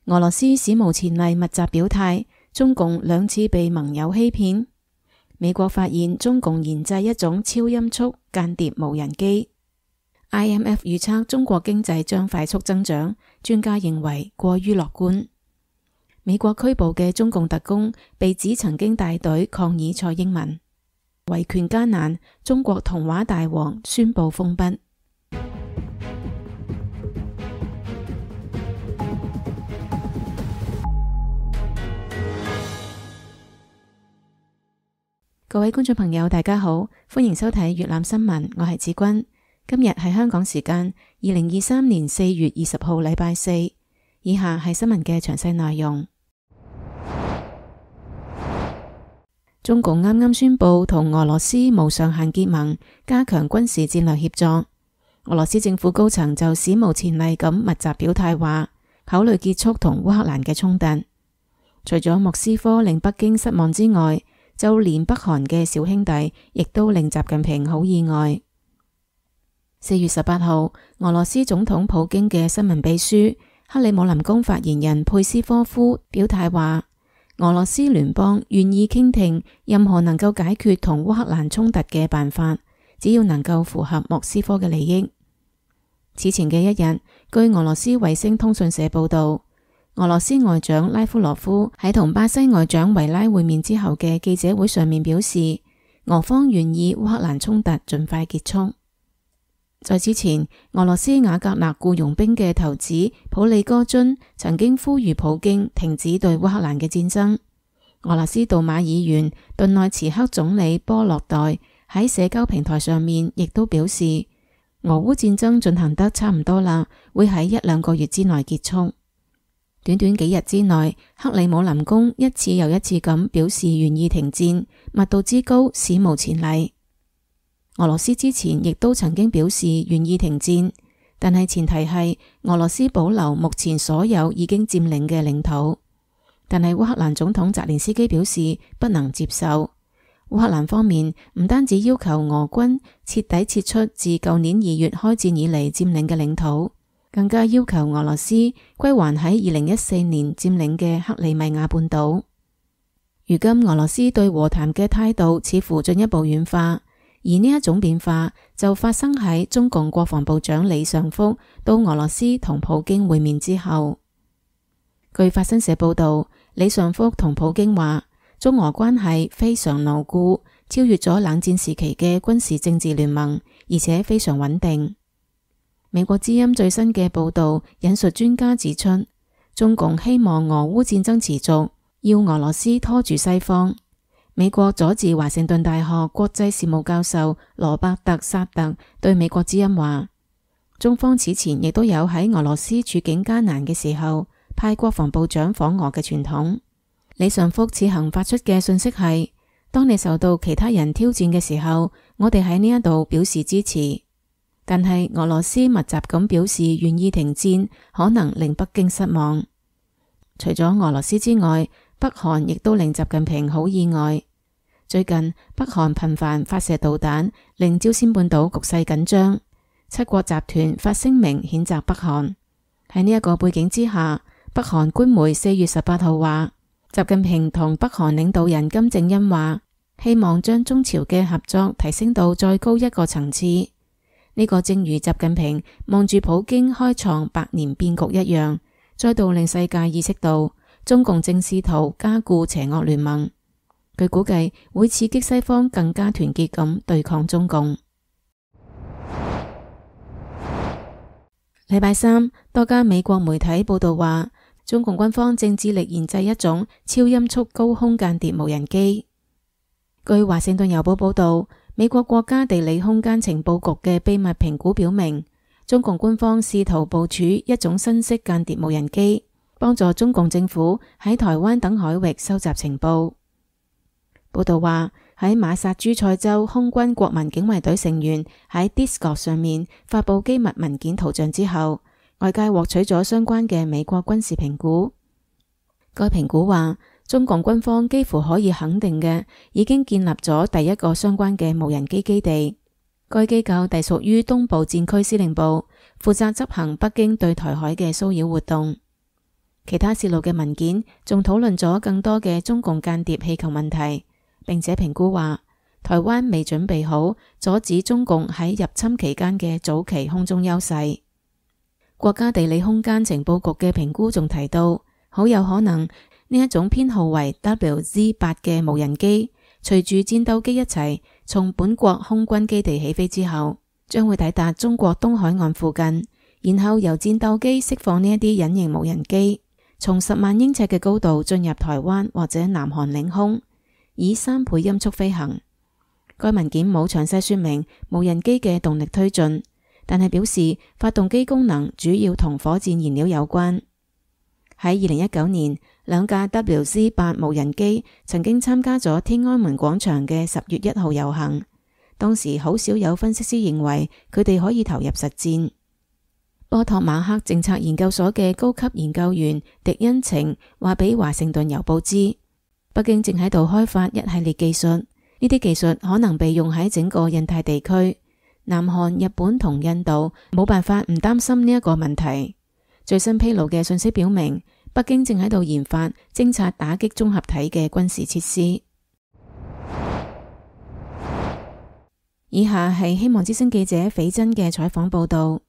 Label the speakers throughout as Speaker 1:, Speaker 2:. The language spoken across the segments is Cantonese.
Speaker 1: 俄羅斯史無前例密集表態，中共2次被盟友欺騙。美國發現中共研製一種超音速間諜無人機。IMF 預測中國經濟將快速增長，專家認為過於樂觀。美國拘捕嘅中共特工被指曾經帶隊抗議蔡英文。維權艱難，中國童話大王宣布封筆。各位觀眾朋友大家好，歡迎收睇粵覽新聞，我係子君。今日係香港時間2023年4月20號禮拜四。以下係新聞嘅詳細內容。中共啱啱宣布同俄羅斯無上限結盟，加強軍事戰略協作。俄羅斯政府高層就史無前例咁密集表態話，考慮結束同烏克蘭嘅衝突。除咗莫斯科令北京失望之外，就連北韓嘅小兄弟亦都令習近平好意外。4月18號，俄羅斯總統普京嘅新聞秘書克里姆林宮發言人佩斯科夫表態話，俄羅斯聯邦願意傾聽任何能夠解決同烏克蘭衝突嘅辦法，只要能夠符合莫斯科嘅利益。此前嘅一日，據俄羅斯衛星通訊社報道，俄羅斯外長拉夫羅夫喺同巴西外長維拉會面之後嘅記者會上面表示，俄方願意烏克蘭衝突盡快結束。在之前，俄羅斯瓦格納僱傭兵嘅頭子普里戈津曾經呼籲普京停止對烏克蘭嘅戰爭。俄羅斯杜馬議員頓內茨克總理波洛代喺社交平台上面亦都表示，俄烏戰爭進行得差唔多啦，會喺1-2個月之內結束。短短幾日之內，克里姆林宮一次又一次咁表示願意停戰，密度之高史無前例。俄羅斯之前亦都曾經表示願意停戰，但係前提係俄羅斯保留目前所有已經佔領嘅領土。但係烏克蘭總統澤連斯基表示不能接受。烏克蘭方面唔單止要求俄軍徹底撤出自舊年2月開戰以嚟佔領嘅領土，更加要求俄羅斯歸還喺2014年佔領嘅克里米亞半島。如今俄羅斯對和談嘅態度似乎進一步軟化，而呢一種變化就發生喺中共國防部長李尚福到俄羅斯同普京會面之後。據法新社報道，李尚福同普京話，中俄關係非常牢固，超越咗冷戰時期嘅軍事政治聯盟，而且非常穩定。美國之音最新嘅報道引述專家指出，中共希望俄烏戰爭持續，要俄羅斯拖住西方。美國佐治華盛頓大學國際事務教授羅伯特薩特對美國之音話，中方此前亦都有喺俄羅斯處境艱難嘅時候派國防部長訪俄嘅傳統。李尚福此行發出嘅信息係，當你受到其他人挑戰嘅時候，我哋喺呢一度表示支持。但係俄羅斯密集咁表示願意停戰，可能令北京失望。除咗俄羅斯之外，北韓亦都令習近平好意外。最近北韓頻繁發射導彈，令朝鮮半島局勢緊張。七國集團發聲明譴責北韓。喺呢一個背景之下，北韓官媒4月18號話，習近平同北韓領導人金正恩話，希望將中朝嘅合作提升到再高一個層次。呢個正如習近平望住普京開創百年變局一樣，再度令世界意識到中共正試圖加固邪惡聯盟。據估計會刺激西方更加團結咁對抗中共。禮拜三，多家美國媒體報道話，中共軍方正致力研製一種超音速高空間諜無人機。據華盛頓郵報報道，美國國家地理空間情報局嘅秘密評估表明，中共官方試圖部署一種新式間諜無人機，幫助中共政府喺台灣等海域收集情報。報道話，喺馬薩諸塞州空軍國民警衛隊成員喺 Discord 上面發佈機密文件圖像之後，外界獲取咗相關嘅美國軍事評估。該評估話，中共軍方幾乎可以肯定嘅，已經建立咗第一個相關嘅無人機基地。該機構隸屬於東部戰區司令部，負責執行北京對台海嘅騷擾活動。其他泄露嘅文件仲討論咗更多嘅中共間諜氣球問題，並且評估話台灣未準備好阻止中共喺入侵期間嘅早期空中優勢。國家地理空間情報局嘅評估仲提到，好有可能呢一種編號為 WZ-8 嘅無人機，隨住戰鬥機一齊從本國空軍基地起飛之後，將會抵達中國東海岸附近，然後由戰鬥機釋放呢一啲隱形無人機，從10萬英尺嘅高度進入台灣或者南韓領空，以3倍音速飛行。該文件冇詳細說明無人機嘅動力推進，但係表示發動機功能主要同火箭燃料有關。喺2019年，2架 WZ-8 無人機曾經參加咗天安門廣場嘅10月1號遊行，當時好少有分析師認為佢哋可以投入實戰。波托馬克政策研究所嘅高級研究員狄恩晴話俾華盛頓郵報知，北京正喺度開發一系列技術，呢啲技術可能被用喺整個印太地區。南韓、日本同印度冇辦法唔擔心呢一個問題。最新披露嘅信息表明，北京正喺度研發偵察打擊綜合體嘅軍事設施。以下係希望之聲記者斐真嘅採訪報道。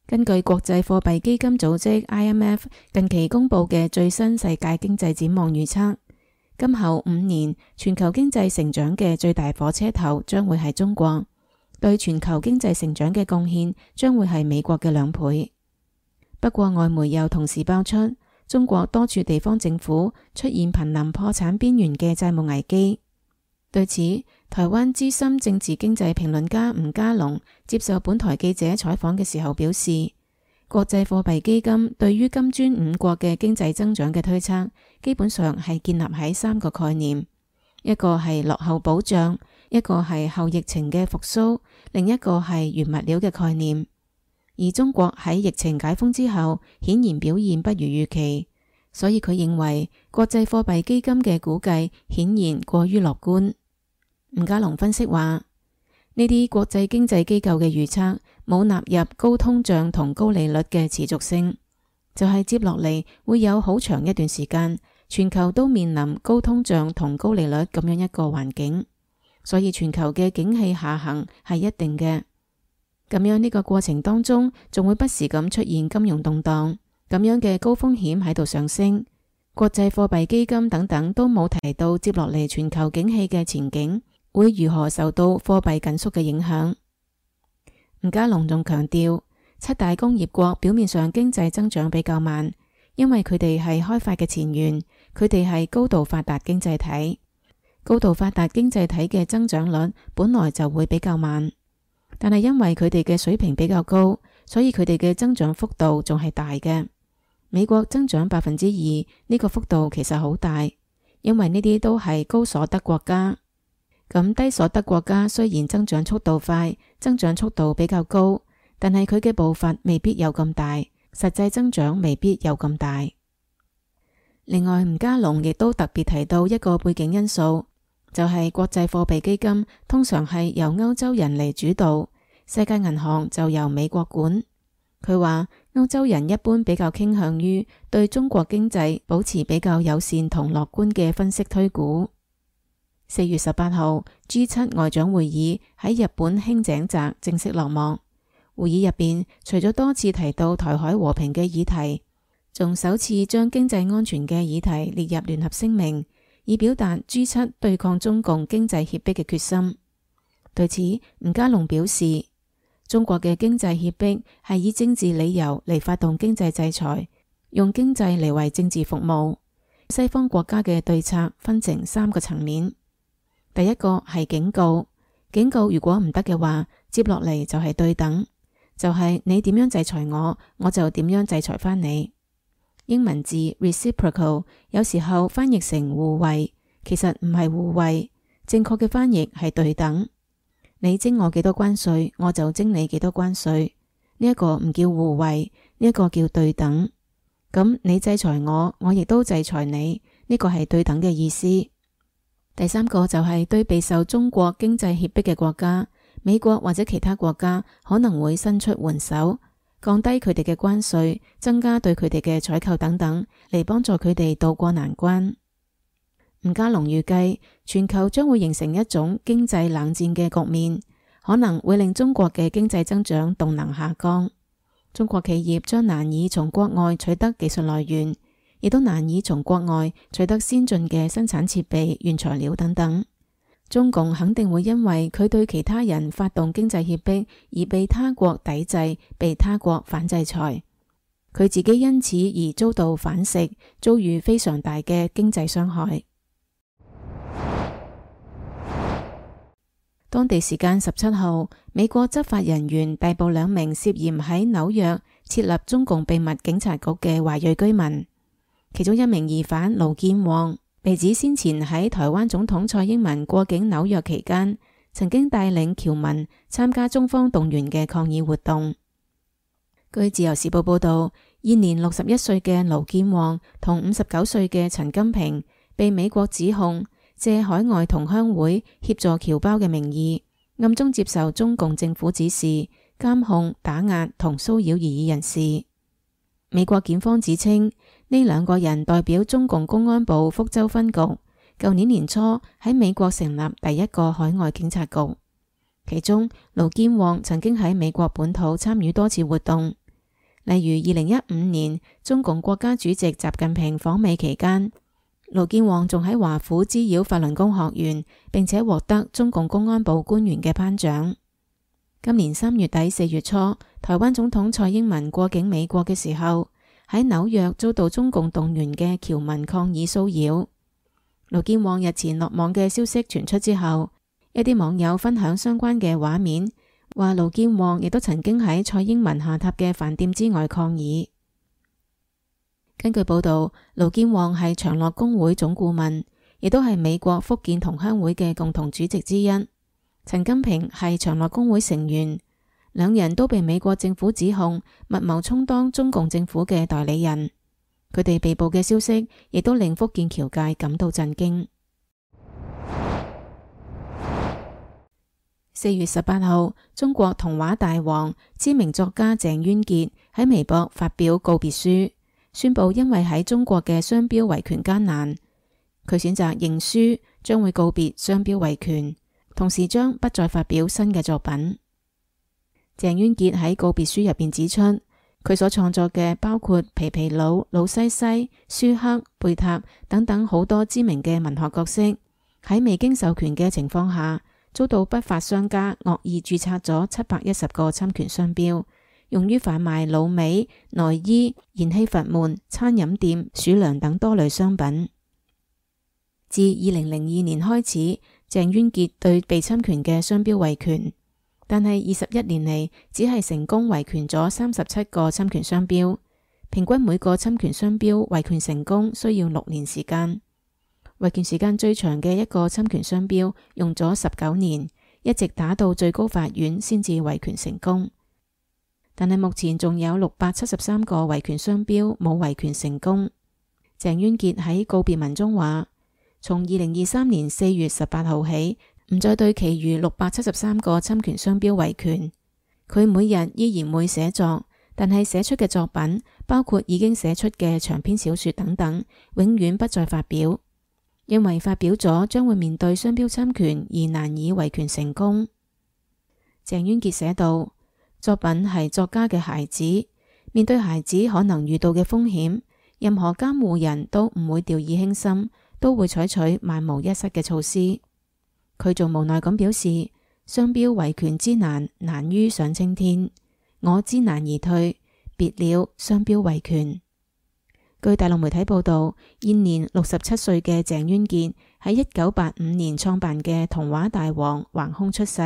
Speaker 1: 根據國際貨幣基金組織 IMF 近期公布嘅最新世界經濟展望預測，今後5年全球經濟成長嘅最大火車頭將會係中國，對全球經濟成長嘅貢獻將會係美國嘅2倍。不過外媒又同時爆出，中國多處地方政府出現瀕臨破產邊緣嘅債務危機。對此，台灣資深政治經濟評論家吳家龍接受本台記者採訪嘅時候表示，國際貨幣基金對於金磚5國嘅經濟增長嘅推測，基本上係建立喺3個概念，一個係落後保障，一個係後疫情嘅復甦，另一個係原物料嘅概念。而中國喺疫情解封之後，顯然表現不如預期，所以佢認為國際貨幣基金嘅估計顯然過於樂觀。吳家龍分析話，呢啲國際經濟機構嘅預測冇納入高通脹同高利率嘅持續性，就係接落嚟會有好長一段時間，全球都面臨高通脹同高利率咁樣一個環境，所以全球嘅景氣下行係一定嘅。咁樣呢個過程當中，仲會不時咁出現金融動盪，咁樣嘅高風險喺度上升。國際貨幣基金等等都冇提到接落嚟全球景氣嘅前景會如何受到貨幣緊縮嘅影響。吳家龍仲強調，7大工業國表面上經濟增長比較慢，因為佢哋係開發嘅前沿，佢哋係高度發達經濟體。高度發達經濟體嘅增長率本來就會比較慢，但係因為佢哋嘅水平比較高，所以佢哋嘅增長幅度仲係大嘅。美國增長2%，呢個幅度其實好大，因為呢啲都係高所得國家。咁低所得國家雖然增長速度快，增長速度比較高，但係佢嘅步伐未必有咁大，實際增長未必有咁大。另外，吳家龍亦都特別提到一個背景因素，就係國際貨幣基金通常係由歐洲人嚟主導，世界銀行就由美國管。佢話歐洲人一般比較傾向於對中國經濟保持比較友善同樂觀嘅分析推估。4月18號 G7 外長會議喺日本輕井澤正式落幕。會議入邊，除咗多次提到台海和平嘅議題，仲首次將經濟安全嘅議題列入聯合聲明，以表達 G7 對抗中共經濟脅迫嘅決心。對此，吳家龍表示，中國嘅經濟脅迫係以政治理由嚟發動經濟制裁，用經濟嚟為政治服務。西方國家嘅對策分成3個層面。第一個係警告，警告如果唔得嘅話，接落嚟就係對等，就係你點樣制裁我，我就點樣制裁返你。英文字 reciprocal 有時候翻譯成互惠，其實唔係互惠，正確嘅翻譯係對等。你徵我幾多關稅，我就徵你幾多關稅。呢一個唔叫互惠，呢一個叫對等。咁你制裁我，我亦都制裁你，呢個係對等嘅意思。第三個就係對備受中國經濟脅迫嘅國家，美國或者其他國家可能會伸出援手，降低佢哋嘅關稅，增加對佢哋嘅採購等等，嚟幫助佢哋渡過難關。吳家龍預計全球將會形成一種經濟冷戰嘅局面，可能會令中國嘅經濟增長動能下降。中國企業將難以從國外取得技術來源，亦都難以從國外取得先進嘅生產設備、原材料等等。中共肯定會因為佢對其他人發動經濟脅迫而被他國抵制，被他國反制裁。佢自己因此而遭到反噬，遭遇非常大嘅經濟傷害。當地時間17號，美國執法人員逮捕2名涉嫌喺紐約設立中共秘密警察局嘅華裔居民，其中一名疑犯盧建旺被指先前喺台灣總統蔡英文過境紐約期間，曾經帶領僑民參加中方動員嘅抗議活動。據自由時報報道，現年61歲嘅盧建旺同59歲嘅陳金平被美國指控借海外同鄉會協助僑胞嘅名義，暗中接受中共政府指示，監控、打壓同騷擾異議人士。美國檢方指稱，呢2個人代表中共公安部福州分局，舊年年初喺美國成立第一個海外警察局。其中，盧建旺曾經喺美國本土參與多次活動，例如2015年中共國家主席習近平訪美期間，盧建旺仲喺華府滋擾法輪功學員，並且獲得中共公安部官員嘅頒獎。今年3月底4月初，台灣總統蔡英文過境美國嘅時候，喺紐約遭到中共動員嘅僑民抗議騷擾。盧建旺日前落網嘅消息傳出之後，一啲網友分享相關嘅畫面，話盧建旺亦都曾經喺蔡英文下榻嘅飯店之外抗議。根據報道，盧建旺係長樂工會總顧問，亦都係美國福建同鄉會嘅共同主席之一。陳金平係長樂工會成員，2人都被美國政府指控密謀充當中共政府嘅代理人。佢哋被捕嘅消息亦都令福建僑界感到震驚。4月18號，中國童話大王、知名作家鄭淵潔喺微博發表告別書，宣布因為喺中國嘅商標維權艱難，佢選擇認輸，將會告別商標維權，同時將不再發表新嘅作品。鄭淵潔喺告別書入邊指出，佢所創作嘅包括皮皮魯、魯西西、舒克、貝塔等等好多知名嘅文學角色，喺未經授權嘅情況下，遭到不法商家惡意註冊咗710個侵權商標，用於販賣滷味、內衣、燃氣閥門、餐飲店、鼠糧等多類商品。自2002年開始，鄭淵潔對被侵權嘅商標維權，但係21年嚟只係成功維權咗37個侵權商標，平均每個侵權商標維權成功需要6年時間。維權時間最長嘅一個侵權商標用咗19年，一直打到最高法院先至維權成功。但係目前仲有673個維權商標冇維權成功。鄭淵潔喺告別文中話，從2023年4月18號起，唔再對其餘673個侵權商標維權。佢每日依然會寫作，但係寫出嘅作品，包括已經寫出嘅長篇小說等等，永遠不再發表，因為發表咗將會面對商標侵權而難以維權成功。鄭淵潔寫道，作品係作家嘅孩子，面對孩子可能遇到嘅風險，任何監護人都唔會掉以輕心，都會採取萬無一失嘅措施。佢仲無奈咁表示，商標維權之難，難於上青天，我知難而退，別了商標維權。據大陸媒體報道，現年67歲嘅鄭淵潔喺1985年創辦嘅童話大王橫空出世。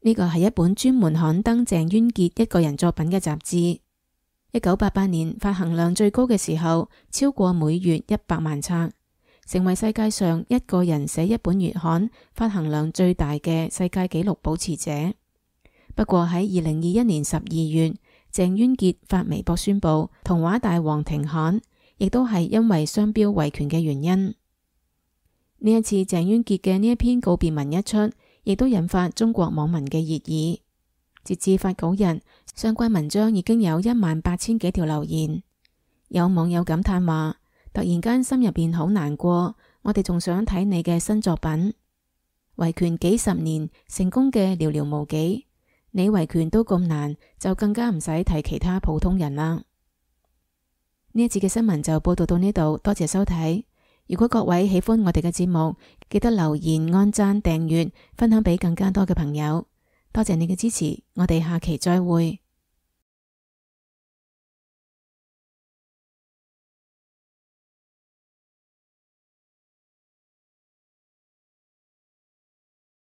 Speaker 1: 呢個係一本專門刊登鄭淵潔一個人作品嘅雜誌。1988年發行量最高嘅時候，超過每月100萬冊，成為世界上一個人寫一本月刊發行量最大嘅世界紀錄保持者。不過喺2021年12月，鄭淵潔發微博宣布童話大王停刊，亦都係因為商標維權嘅原因。呢一次鄭淵潔嘅呢一篇告別文一出，亦都引發中國網民嘅熱議。截至發稿日，相關文章已經有18000幾條留言。有網友感嘆話：突然間心入邊好難過，我哋仲想睇你嘅新作品。維權幾十年，成功嘅寥寥無幾，你維權都咁難，就更加唔使提其他普通人啦。呢一節嘅新聞就報道到呢度，多謝收睇。如果各位喜歡我哋嘅節目，記得留言、按讚、訂閱、分享俾更加多嘅朋友。多謝你嘅支持，我哋下期再會。